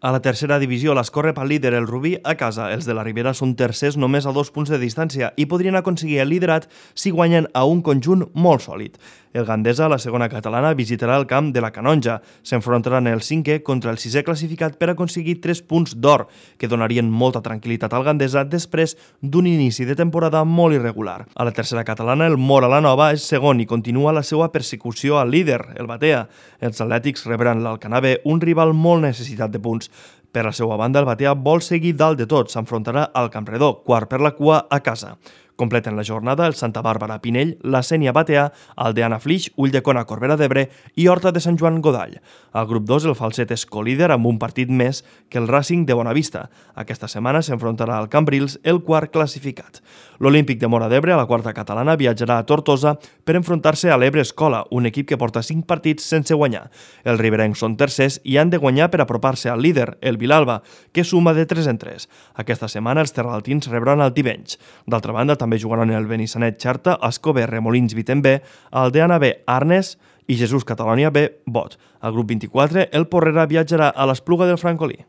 A la tercera divisió l'escorre pel líder el Rubí a casa. Els de la Ribera són tercers només a 2 punts de distància i podrien aconseguir el liderat si guanyen a un conjunt molt sòlid. El Gandesa, la segona catalana, visitarà el camp de la Canonja. S'enfrontaran el 5è contra el 6è classificat per aconseguir 3 punts d'or, que donarien molta tranquil·litat al Gandesa després d'un inici de temporada molt irregular. A la tercera catalana, el Móra la Nova és segon i continua la seva persecució al líder, el Batea. Els atlètics rebran l'Alcanar B, un rival molt necessitat de punts. Per la seva banda, el Batea vol seguir dalt de tot, s'enfrontarà al Campredó, quart per la cua a casa. Completen la jornada el Santa Bàrbara Pinell, la Sénia Batea, Aldeana Flix, Ulldecona Corbera d'Ebre i Horta de Sant Joan Godall. Al grup 2 el Falset és colíder amb un partit més que el Racing de Bonavista. Aquesta setmana s'enfrontarà al Cambrils, el quart classificat. L'Olímpic de Móra d'Ebre, a la quarta catalana, viatjarà a Tortosa per enfrontar-se a l'Ebre Escola, un equip que porta 5 partits sense guanyar. Els riberencs són tercers i han de guanyar per apropar-se al líder, el Vilalba, que suma de 3 en 3. Aquesta setmana els terraltins rebran el Tivenys. D'altra banda, també jugaran el Benissanet Xarta, Ascó B, Remolins Vitem B, Aldeana B, Arnes i Jesús Catalònia B, Bot. Al grup 24, el Porrera viatjarà a l'Espluga del Francolí.